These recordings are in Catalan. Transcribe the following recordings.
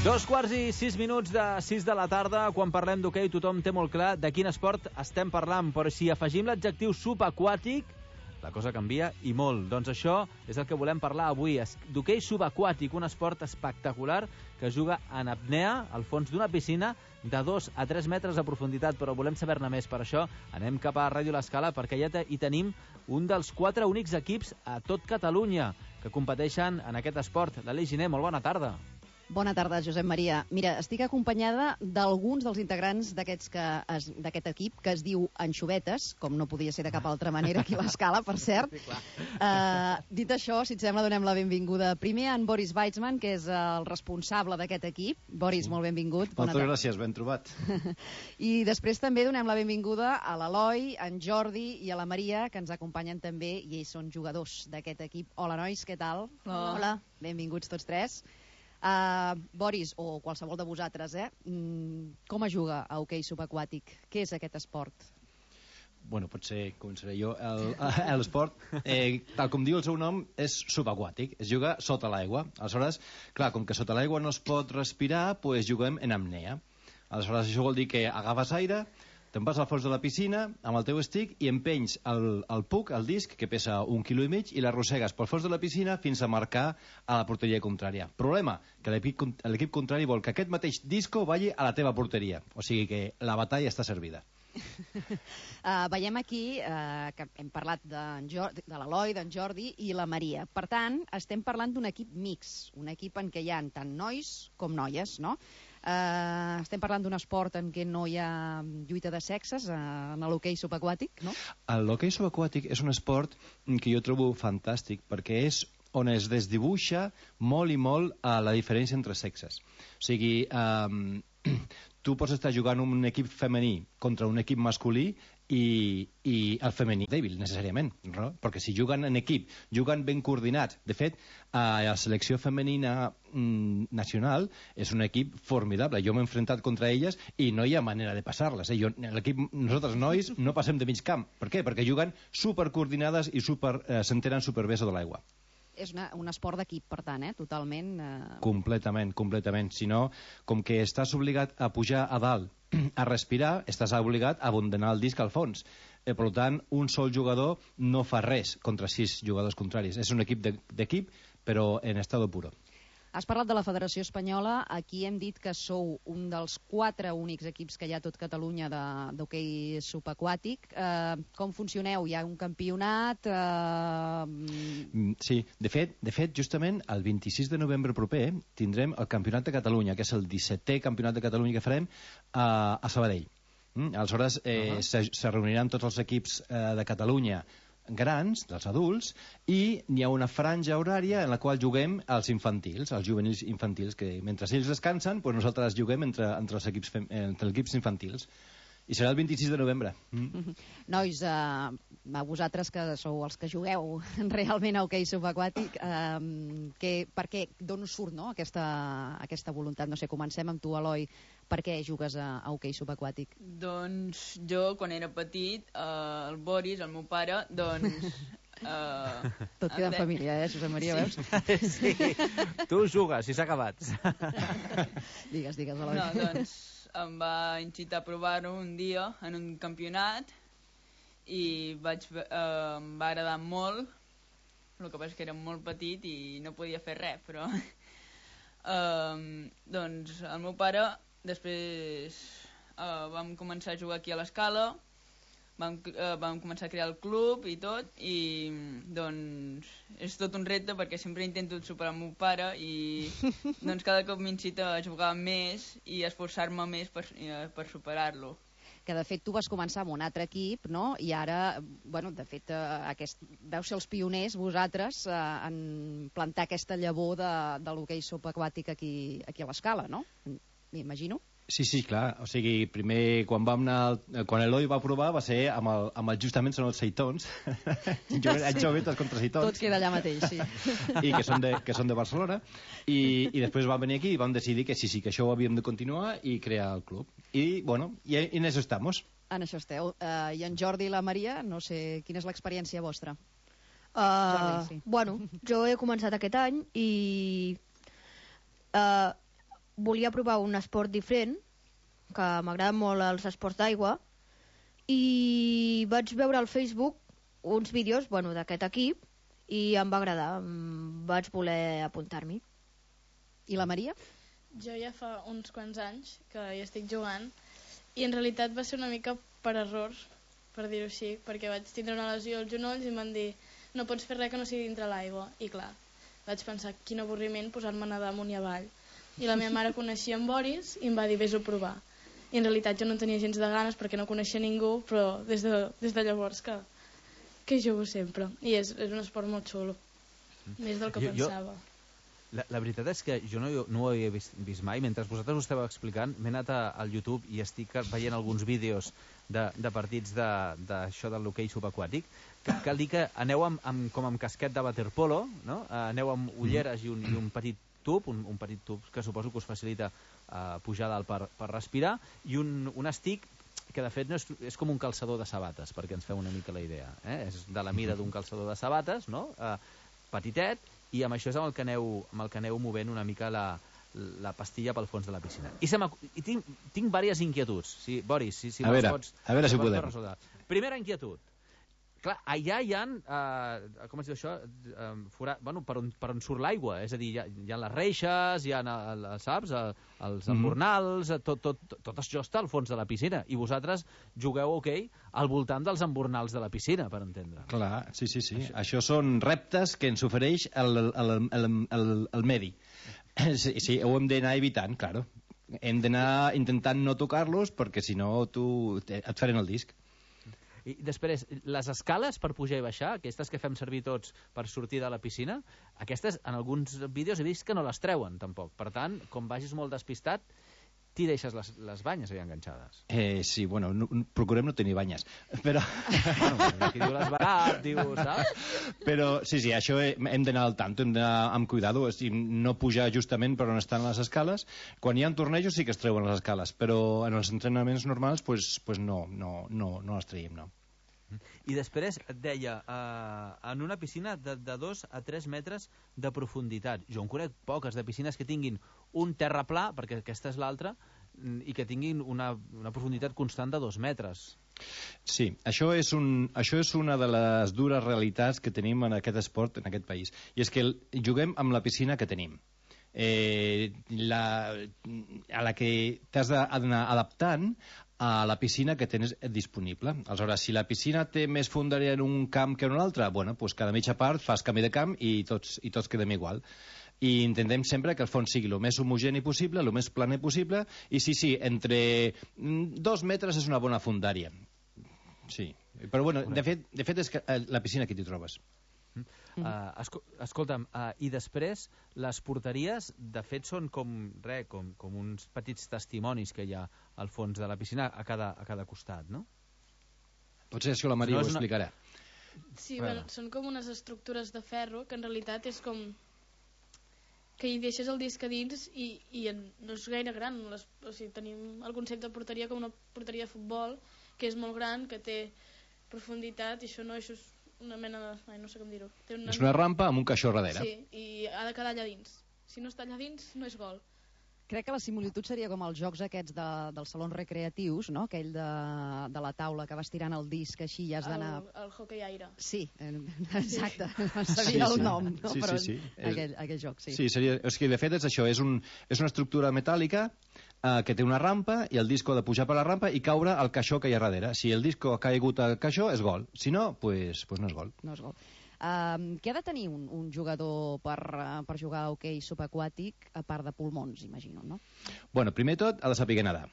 2:06 de 6 de la tarda. Quan parlem d'hoquei tothom té molt clar de quin esport estem parlant, però si afegim l'adjectiu subaquàtic, la cosa canvia i molt. Doncs això és el que volem parlar avui, d'hoquei subaquàtic, un esport espectacular que es juga en apnea al fons d'una piscina de 2 a 3 metres de profunditat, però volem saber-ne més. Per això anem cap a Ràdio L'Escala, perquè ja hi tenim un dels 4 únics equips a tot Catalunya que competeixen en aquest esport. L'Aleix Giner, molt bona tarda. Bona tarda, Josep Maria. Mira, estic acompanyada d'alguns dels integrants d'aquest equip que es diu Anxovetes, com no podia ser de cap altra manera aquí a l'Escala, per cert. Sí, Dit això, si et sembla, donem la benvinguda primer a en Boris Weitzman, que és el responsable d'aquest equip. Boris, molt benvingut. Moltes gràcies, ben trobat. I després també donem la benvinguda a l'Eloi, en Jordi i a la Maria, que ens acompanyen també, i ells són jugadors d'aquest equip. Hola, nois, què tal? Hola. Benvinguts tots tres. Boris, o qualsevol de vosaltres, com es juga a hoquei subaquàtic? Què és aquest esport? Bueno, potser començaré jo. L'esport, tal com diu el seu nom, és subaquàtic, es juga sota l'aigua. Aleshores, clar, com que sota l'aigua no es pot respirar, doncs juguem en apnea. Aleshores, això vol dir que agafes aire, te'n vas al fons de la piscina amb el teu stick i empenys el puck, el disc, que pesa 1,5 kg, i l'arrossegues pel fons de la piscina fins a marcar a la porteria contrària. Problema, que l'equip contrari vol que aquest mateix disco vagi a la teva porteria. O sigui que la batalla està servida. Veiem aquí que hem parlat de l'Eloi, d'en Jordi i la Maria. Per tant, estem parlant d'un equip mix, un equip en què hi ha tant nois com noies, no? Estem parlant d'un esport en què no hi ha lluita de sexes, en l'hoquei subaquàtic, no? L'hoquei subaquàtic és un esport que jo trobo fantàstic, perquè és on es desdibuixa molt i molt la diferència entre sexes. O sigui, tu pots estar jugant un equip femení contra un equip masculí i el femení dèbil, necessàriament, no? Perquè si juguen en equip, juguen ben coordinats. De fet, la selecció femenina nacional és un equip formidable. Jo m'he enfrontat contra elles i no hi ha manera de passar-les. L'equip, nosaltres nois, no passem de mig camp. Per què? Perquè juguen supercoordinades i s'entenen superbé sota l'aigua. És un esport d'equip, per tant, totalment... Completament. Si no, com que estàs obligat a pujar a dalt a respirar, estàs obligat a abandonar el disc al fons. Per tant, un sol jugador no fa res contra 6 jugadors contraris. És un equip d'equip, però en estado puro. Has parlat de la Federació Espanyola. Aquí hem dit que sou un dels 4 únics equips que hi ha a tot Catalunya d'hoquei subaquàtic. Com funcioneu? Hi ha un campionat? Sí, de fet, justament el 26 de novembre proper tindrem el Campionat de Catalunya, que és el 17è Campionat de Catalunya que farem a Sabadell. Aleshores se reuniran tots els equips de Catalunya grans, dels adults, i hi ha una franja horària en la qual juguem els infantils, els juvenils infantils, que mentre ells descansen, doncs nosaltres juguem entre els equips infantils. I serà el 26 de novembre. Nois, a vosaltres que sou els que jugueu realment a hoquei subaquàtic, per què, d'on us surt, no, aquesta voluntat? No sé, comencem amb tu, Eloi. Per què jugues a hoquei subaquàtic? Doncs jo, quan era petit, el Boris, el meu pare, doncs... Tot queda en família, Josep Maria, veus? Sí, tu jugues, si s'ha acabat. Digues, Eloi. No, doncs em va incitar a provar-ho un dia en un campionat i em va agradar molt. El que passa és que era molt petit i no podia fer res, però doncs el meu pare després vam començar a jugar aquí a l'Escala, vam començar a crear el club i tot, i doncs és tot un repte perquè sempre intento superar el meu pare i doncs cada cop m'incita a jugar més i a esforçar-me més per superar-lo. Que de fet tu vas començar amb un altre equip, no? I ara, bueno, de fet veu ser els pioners vosaltres en plantar aquesta llavor de l'hoquei subaquàtic aquí a l'Escala, no? M'imagino. Sí, clar. O sigui, primer, quan l'Eloi va provar, va ser justament són els seitons. Jovetes contra seitons. Tot queda allà mateix, sí. I que són de Barcelona. I després vam venir aquí i vam decidir que sí, que això ho havíem de continuar i crear el club. I, bueno, i en això estamos. En això esteu. I en Jordi i la Maria, no sé, quina és l'experiència vostra? Jordi, sí. Bueno, jo he començat aquest any i volia provar un esport diferent, que m'agraden molt els esports d'aigua, i vaig veure al Facebook uns vídeos d'aquest equip i em va agradar, vaig voler apuntar-m'hi. I la Maria? Jo ja fa uns quants anys que hi estic jugant i en realitat va ser una mica per errors, per dir-ho així, perquè vaig tindre una lesió als genolls i em van dir no pots fer res que no sigui dintre l'aigua. I clar, vaig pensar quin avorriment posar-me a nedar amunt i avall. I la meva mare coneixia en Boris i em va dir vés-ho a provar. I en realitat jo no tenia gens de ganes perquè no coneixia ningú, però des de llavors que jugo sempre. I és un esport molt xulo, més del que pensava. La veritat és que jo no ho havia vist mai. Mentre vosaltres ho estàveu explicant, m'he anat al YouTube i estic veient alguns vídeos de partits d'això de l'hoquei subaquàtic. Cal dir que aneu com amb casquet de waterpolo, no? Aneu amb ulleres i un petit tub, un petit tub que suposo que us facilita pujar dalt per respirar, i un estic que de fet no és com un calçador de sabates, perquè ens feu una mica la idea. És de la mida d'un calçador de sabates, no? Petitet, i amb això és amb el que aneu movent una mica la pastilla pel fons de la piscina. I tinc diverses inquietuds. Boris, si a veure si podem. Primera inquietud. Clar, allà hi ha, com es diu això, per on surt l'aigua, és a dir, hi ha les reixes, hi ha, saps, els embornals, tot això està al fons de la piscina, i vosaltres jugueu hoquei al voltant dels embornals de la piscina, per entendre. Clar, sí. Això són reptes que ens ofereix el medi. Sí, ho hem d'anar evitant, claro. Hem d'anar intentant no tocar-los, perquè si no et farem el disc. I després, les escales per pujar i baixar, aquestes que fem servir tots per sortir de la piscina, aquestes en alguns vídeos he vist que no les treuen tampoc. Per tant, com vagis molt despistat, t'hi deixes les banyes allà enganxades. Sí, bueno, procurem no tenir banyes. Però... Aquí diu l'esbarat, saps? Però sí, això hem d'anar al tanto, hem d'anar amb cuidado, no pujar justament per on estan les escales. Quan hi ha tornejos sí que es treuen les escales, però en els entrenaments normals pues no les traiem, no. I després et deia, en una piscina de 2 a 3 metres de profunditat. Jo en conec poques de piscines que tinguin un terraplà, perquè aquesta és l'altra, i que tinguin una profunditat constant de 2 metres. Sí, això és una de les dures realitats que tenim en aquest esport, en aquest país. I és que juguem amb la piscina que tenim. A la que t'has d'anar adaptant a la piscina que tens disponible. Aleshores, si la piscina té més fondària en un camp que en un altre, bueno, pues cada mitja part fas canvi de camp i tots quedem igual. I intentem sempre que el fons sigui el més homogeni possible, el més planer possible, i sí, entre 2 metres és una bona fondària. Sí, però bueno, de fet és que la piscina aquí t'hi trobes. Escolta'm, i després les porteries de fet són com uns petits testimonis que hi ha al fons de la piscina a cada costat, no? Potser això la Maria ho explicarà. Sí, bueno, són com unes estructures de ferro que en realitat és com que hi deixes el disc a dins i no és gaire gran, o sigui, tenim el concepte de porteria com una porteria de futbol que és molt gran, que té profunditat, i això és una mena de... no sé com dir-ho. És una rampa amb un caixó darrere. Sí, i ha de quedar allà dins. Si no està allà dins, no és gol. Crec que la similitud seria com els jocs aquests dels salons recreatius, no? Aquell de la taula que vas tirant el disc així i has d'anar... El hoquei aire. Sí, exacte. Sabia el nom, no? Sí. Aquell joc, sí. Sí, de fet és això, és una estructura metàl·lica que té una rampa i el disco ha de pujar per la rampa i caure al caixó que hi ha darrere. Si el disco ha caigut al caixó és gol, si no, pues no és gol. No és gol. Què ha de tenir un jugador per jugar a hoquei subaquàtic a part de pulmons, imagino, no? Bueno, primer tot ha de saber nedar.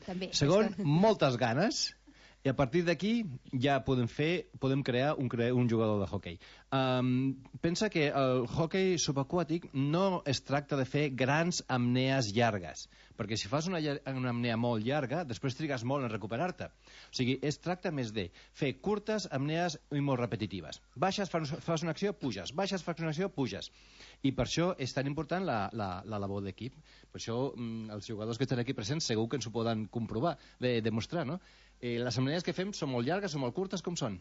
També. Segon, moltes ganes, i a partir d'aquí ja podem crear un jugador de hoquei. Pensa que el hoquei subaquàtic no es tracta de fer grans apnees llargues, perquè si fas una apnea molt llarga, després trigues molt en recuperar-te. O sigui, es tracta més de fer curtes apnees i molt repetitives. Baixes, fas una acció, puges. Baixes, fas una acció, puges. I per això és tan important la labor d'equip. Per això els jugadors que estan aquí presents segur que ens ho poden comprovar, demostrar, no? Les apnees que fem són molt llargues, són molt curtes, com són?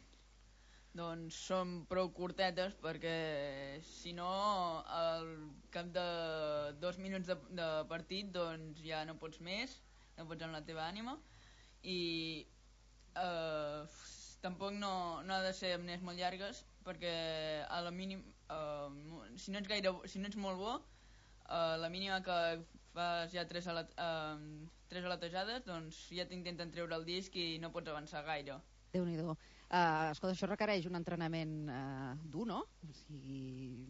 doncs són prou curtetes, perquè si no al cap de 2 minuts de partit doncs ja no pots més, no pots amb la teva ànima, i tampoc no ha de ser amnés molt llargues, perquè a la mínim si no ets molt bo, la mínima que fas ja 3 aletejades, doncs ja t'intenten treure el disc i no pots avançar gaire. Déu-n'hi-do. Escolta, això requereix un entrenament dur, no? O sigui,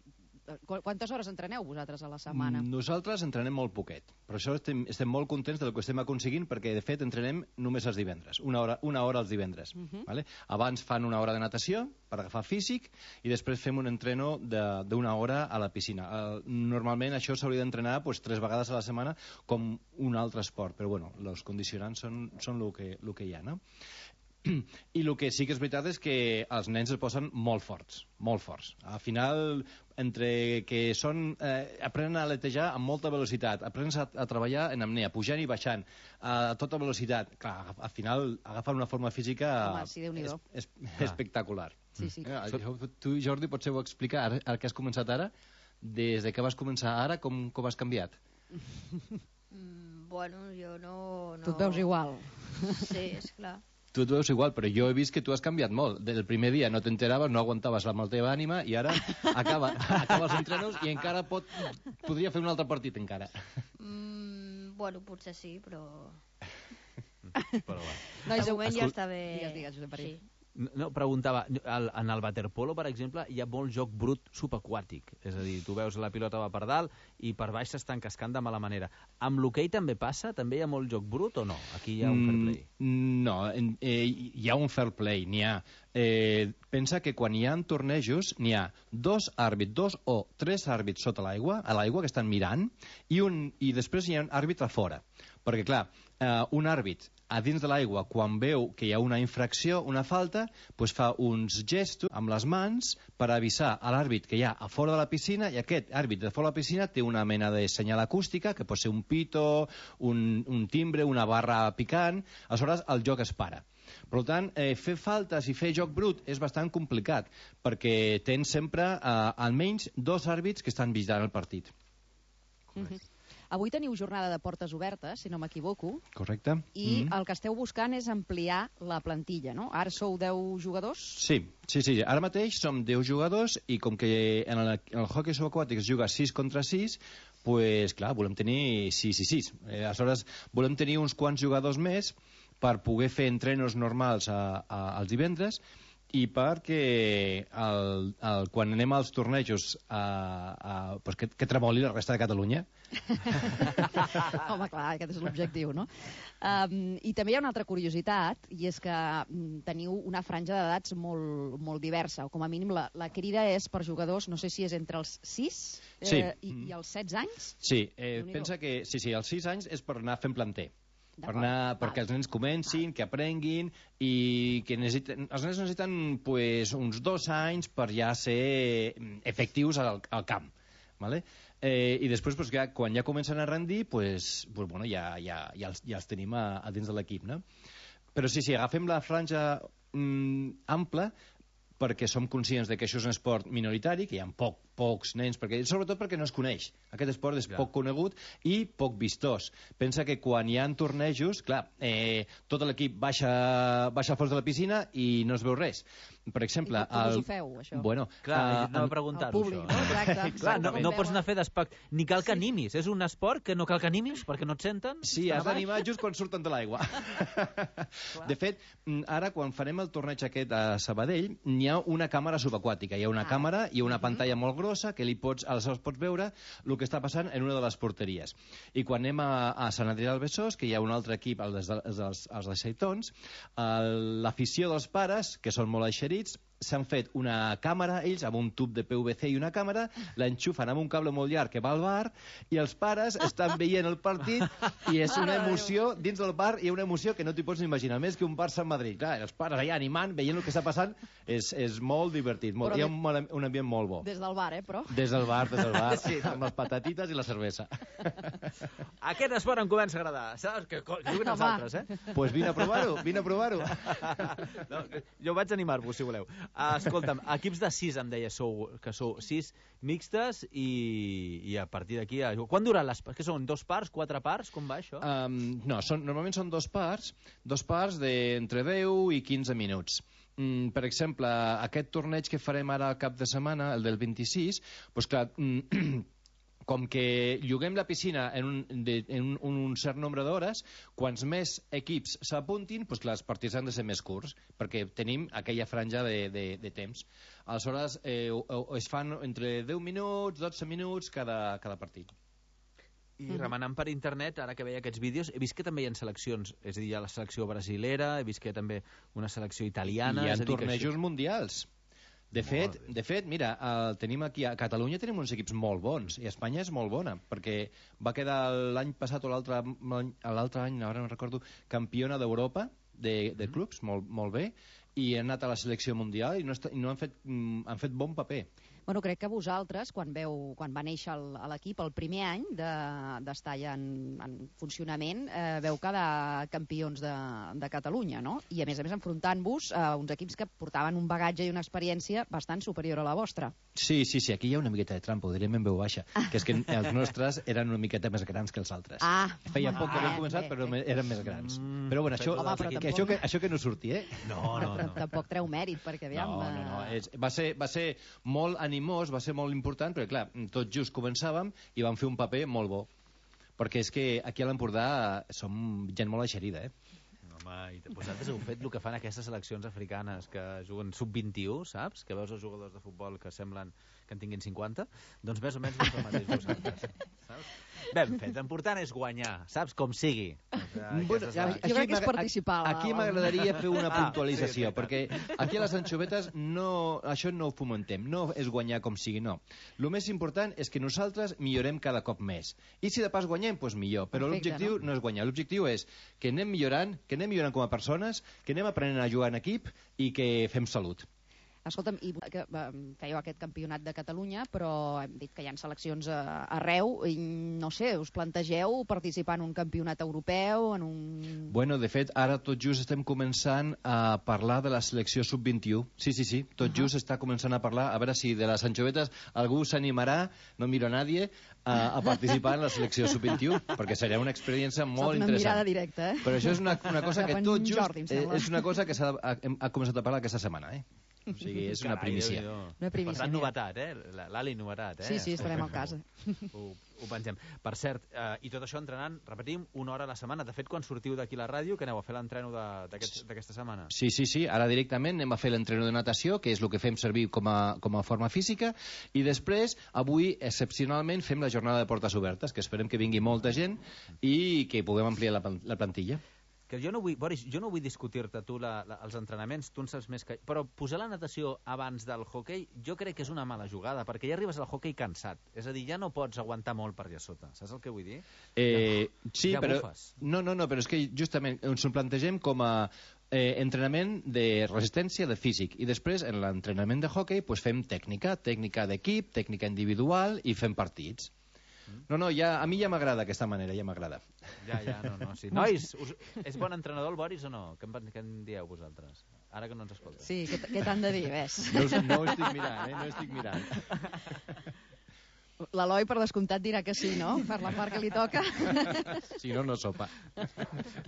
quantes hores entreneu vosaltres a la setmana? Nosaltres entrenem molt poquet. Per això estem molt contents del que estem aconseguint, perquè de fet entrenem només els divendres, una hora els divendres. Vale? Abans fan una hora de natació per agafar físic i després fem un entreno d'una hora a la piscina. Normalment això s'hauria d'entrenar 3 vegades a la setmana com un altre esport, però bueno, els condicionants són el que hi ha, no? I el que sí que és veritat és que els nens es posen molt forts, molt forts. Al final, entre que aprenen a aletejar amb molta velocitat, aprenen a treballar en apnea, pujant i baixant, a tota velocitat, clar, al final agafen una forma física espectacular. Sí, sí. Tu, Jordi, potser ho explicar, ara que has començat ara, des de que vas començar ara, com has canviat? Bueno, jo no... Tu et veus igual. Sí, és clar. Tu et veus igual, però jo he vist que tu has canviat molt. Del primer dia no t'enteraves, no aguantaves amb la teva ànima, i ara acaba els entrenos i encara podria fer un altre partit, encara. Bueno, potser sí, però... Però va. De moment ja està bé. Digues, Josep Maria. Sí. No, preguntava, en el waterpolo, per exemple, hi ha molt joc brut subaquàtic. És a dir, tu veus la pilota va per dalt i per baix s'estan cascant de mala manera. Amb l'hoquei també passa? També hi ha molt joc brut o no? Aquí hi ha un fair play. No, hi ha un fair play, n'hi ha. Pensa que quan hi ha tornejos n'hi ha 2 o 3 àrbits sota l'aigua, a l'aigua, que estan mirant, i després hi ha un àrbit a fora. Perquè, clar, un àrbit a dins de l'aigua, quan veu que hi ha una infracció, una falta, doncs fa uns gestos amb les mans per avisar a l'àrbit que hi ha a fora de la piscina, i aquest àrbit de fora de la piscina té una mena de senyal acústica, que pot ser un pito, un timbre, una barra picant, aleshores el joc es para. Per tant, fer faltes i fer joc brut és bastant complicat, perquè tens sempre almenys 2 àrbits que estan vigilant el partit. Avui teniu jornada de portes obertes, si no m'equivoco. Correcte. I el que esteu buscant és ampliar la plantilla, no? Ara sou 10 jugadors? Sí. Ara mateix som 10 jugadors i com que en el hoquei subaquàtic es juga 6 contra 6, pues, clar, volem tenir 6 i 6. Aleshores, volem tenir uns quants jugadors més per poder fer entrenos normals els divendres i perquè quan anem als tornejos pues que tremoli la resta de Catalunya. Home, clar, aquest és l'objectiu, no? I també hi ha una altra curiositat, i és que teniu una franja d'edats molt, molt diversa, o com a mínim la crida és per jugadors, no sé si és entre els 6 i els 16 anys? Sí, pensa que als 6 anys és per anar fent planter. Perquè els nens comencin, que aprenguin, i que els nens necessiten uns 2 anys per ja ser efectius al camp, ¿vale? I després, quan ja comencen a rendir, ja els tenim a dins de l'equip, no? Però sí, agafem la franja ampla, perquè som conscients de que això és un esport minoritari, que hi ha pocs nens, sobretot perquè no es coneix. Aquest esport és poc conegut i poc vistós. Pensa que quan hi ha tornejos, clar, tot l'equip baixa al fons de la piscina i no es veu res. Per exemple... I com us ho feu, això? Bueno, clar, anava a preguntar-ho, això. Exacte. Clar, no pots anar a fer d'espectacle, ni cal que animis. És un esport que no cal que animis perquè no et senten. Sí, has d'animar just quan surten de l'aigua. De fet, ara quan farem el torneig aquest a Sabadell, hi ha una càmera subaquàtica. Hi ha una càmera i una pantalla molt grossa que aleshores pots veure el que està passant en una de les porteries. I quan anem a Sant Adrià del Besòs, que hi ha un altre equip, els de Xaitons, l'afició dels pares, que són molt eixerits, s'han fet una càmera, ells, amb un tub de PVC i una càmera, l'enxufen amb un cable molt llarg que va al bar, i els pares estan veient el partit, i és una emoció, dins del bar hi ha una emoció que no t'hi pots ni imaginar, més que un Barça-Madrid. Clar, els pares allà animant, veient el que està passant, és molt divertit, hi ha un ambient molt bo. Des del bar, però? Des del bar, sí, amb les patatites i la cervesa. Aquest esport em comença a agradar, saps? Que juguen els altres, Pues vine a provar-ho. No, jo vaig animar-vos, si voleu. Escolta'm, equips de 6 em deia que sou 6 mixtes i a partir d'aquí... Quan duran les... Què són, 2 parts, 4 parts? Com va això? No, normalment són 2 parts d'entre 10 i 15 minuts. Per exemple, aquest torneig que farem ara al cap de setmana, el del 26, doncs clar... Com que lloguem la piscina en un cert nombre d'hores, quants més equips s'apuntin, doncs clar, els partits han de ser més curts, perquè tenim aquella franja de temps. Aleshores, es fan entre 10 minuts, 12 minuts cada partit. I remenant per internet, ara que veia aquests vídeos, he vist que també hi ha seleccions, és a dir, hi ha la selecció brasilera, he vist que hi ha també una selecció italiana... I hi ha tornejos mundials. De fet, mira, tenim aquí a Catalunya tenim uns equips molt bons i Espanya és molt bona, perquè va quedar l'any passat o l'altre any, ara no recordo, campiona d'Europa de clubs, molt bé, i han anat a la selecció mundial i no han fet bon paper. Bueno, crec que vosaltres, quan va néixer l'equip, el primer any d'estar ja en funcionament, veu quedar campions de Catalunya, no? I a més enfrontant-vos a uns equips que portaven un bagatge i una experiència bastant superior a la vostra. Sí, aquí hi ha una miqueta de trampa, ho direm en veu baixa, que és que els nostres eren una miqueta més grans que els altres. Feia poc que havíem començat, però eren més grans. Però bueno, això que no surti, eh? No. Però tampoc treu mèrit, perquè aviam... No. Va ser molt animós, va ser molt important, però clar, tot just començàvem i vam fer un paper molt bo. Perquè és que aquí a l'Empordà som gent molt eixerida, eh? Home, i vosaltres heu fet el que fan aquestes seleccions africanes que juguen sub-21, saps? Que veus els jugadors de futbol que semblen que en tinguin 50, doncs més o menys el mateix vosaltres, saps? Ben fet, l'important és guanyar, saps? Com sigui. Jo crec que és participar. Aquí m'agradaria fer una puntualització, perquè aquí a les anxovetes això no ho fomentem, no és guanyar com sigui, no. El més important és que nosaltres millorem cada cop més. I si de pas guanyem, doncs millor. Però l'objectiu no és guanyar, l'objectiu és que anem millorant com a persones, que anem aprenent a jugar en equip i que fem salut. Escolta'm, i que fèieu aquest campionat de Catalunya, però hem dit que hi ha seleccions arreu, i no sé, us plantegeu participar en un campionat europeu, en un... Bueno, de fet, ara tot just estem començant a parlar de la selecció sub-21. Sí, tot just està començant a parlar, a veure si de les anxovetes algú s'animarà, no miro a nadie, a participar en la selecció sub-21, perquè seria una experiència molt interessant. Una mirada directa, eh? Però això és una cosa que tot just és una cosa que ha començat a parlar aquesta setmana, eh? O sigui, és una primícia. Una primícia. Per tant, novetat, eh? L'Ali, novetat, eh? Sí, estarem al cas. Ho pengem. Per cert, i tot això entrenant, repetim, 1 hora a la setmana. De fet, quan sortiu d'aquí la ràdio, que aneu a fer l'entreno d'aquesta setmana? Sí. Ara directament anem a fer l'entreno de natació, que és el que fem servir com a forma física, i després, avui, excepcionalment, fem la jornada de portes obertes, que esperem que vingui molta gent i que puguem ampliar la plantilla. Que jo no vull, Boris, discutir-te tu els entrenaments, tu en saps més que... Però posar la natació abans del hoquei jo crec que és una mala jugada, perquè ja arribes al hoquei cansat. És a dir, ja no pots aguantar molt per allà sota. Saps el que vull dir? Sí, però... No, però és que justament ens ho plantegem com a entrenament de resistència, de físic, i després en l'entrenament de hoquei pues, fem tècnica d'equip, tècnica individual i fem partits. No, a mi ja m'agrada aquesta manera, ja m'agrada. Sí. Nois, és bon entrenador el Boris o no? Què en dieu vosaltres? Ara que no ens escoltes. Sí, què t'han de dir, ves? No ho estic mirant, no estic mirant. L'Eloi, per descomptat, dirà que sí, no? Per la part que li toca. Si no, no sopa.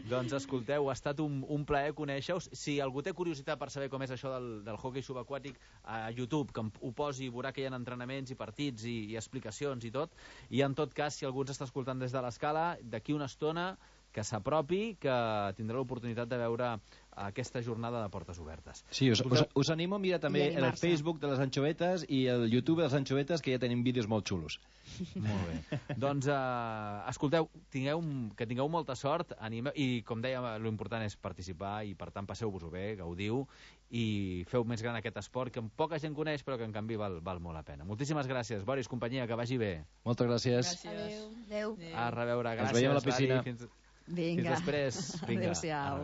Doncs escolteu, ha estat un plaer conèixer-us. Si algú té curiositat per saber com és això del hoquei subaquàtic, a YouTube, que ho posi, veurà que hi ha entrenaments i partits i explicacions i tot. I en tot cas, si algú ens està escoltant des de l'escala, d'aquí una estona que s'apropi, que tindrà l'oportunitat de veure aquesta jornada de portes obertes. Sí, us animo a mirar també el Facebook de les anxovetes i el YouTube de les anxovetes, que ja tenim vídeos molt xulos. Molt bé. Doncs, escolteu, que tingueu molta sort, i com deia, l'important és participar, i per tant passeu-vos-ho bé, gaudiu, i feu més gran aquest esport, que poca gent coneix, però que en canvi val molt la pena. Moltíssimes gràcies, Boris, companyia, que vagi bé. Moltes gràcies. Adéu. Adéu. A reveure, gràcies. Ens veiem a la piscina. Vinga. Fins després. Adéu-siau.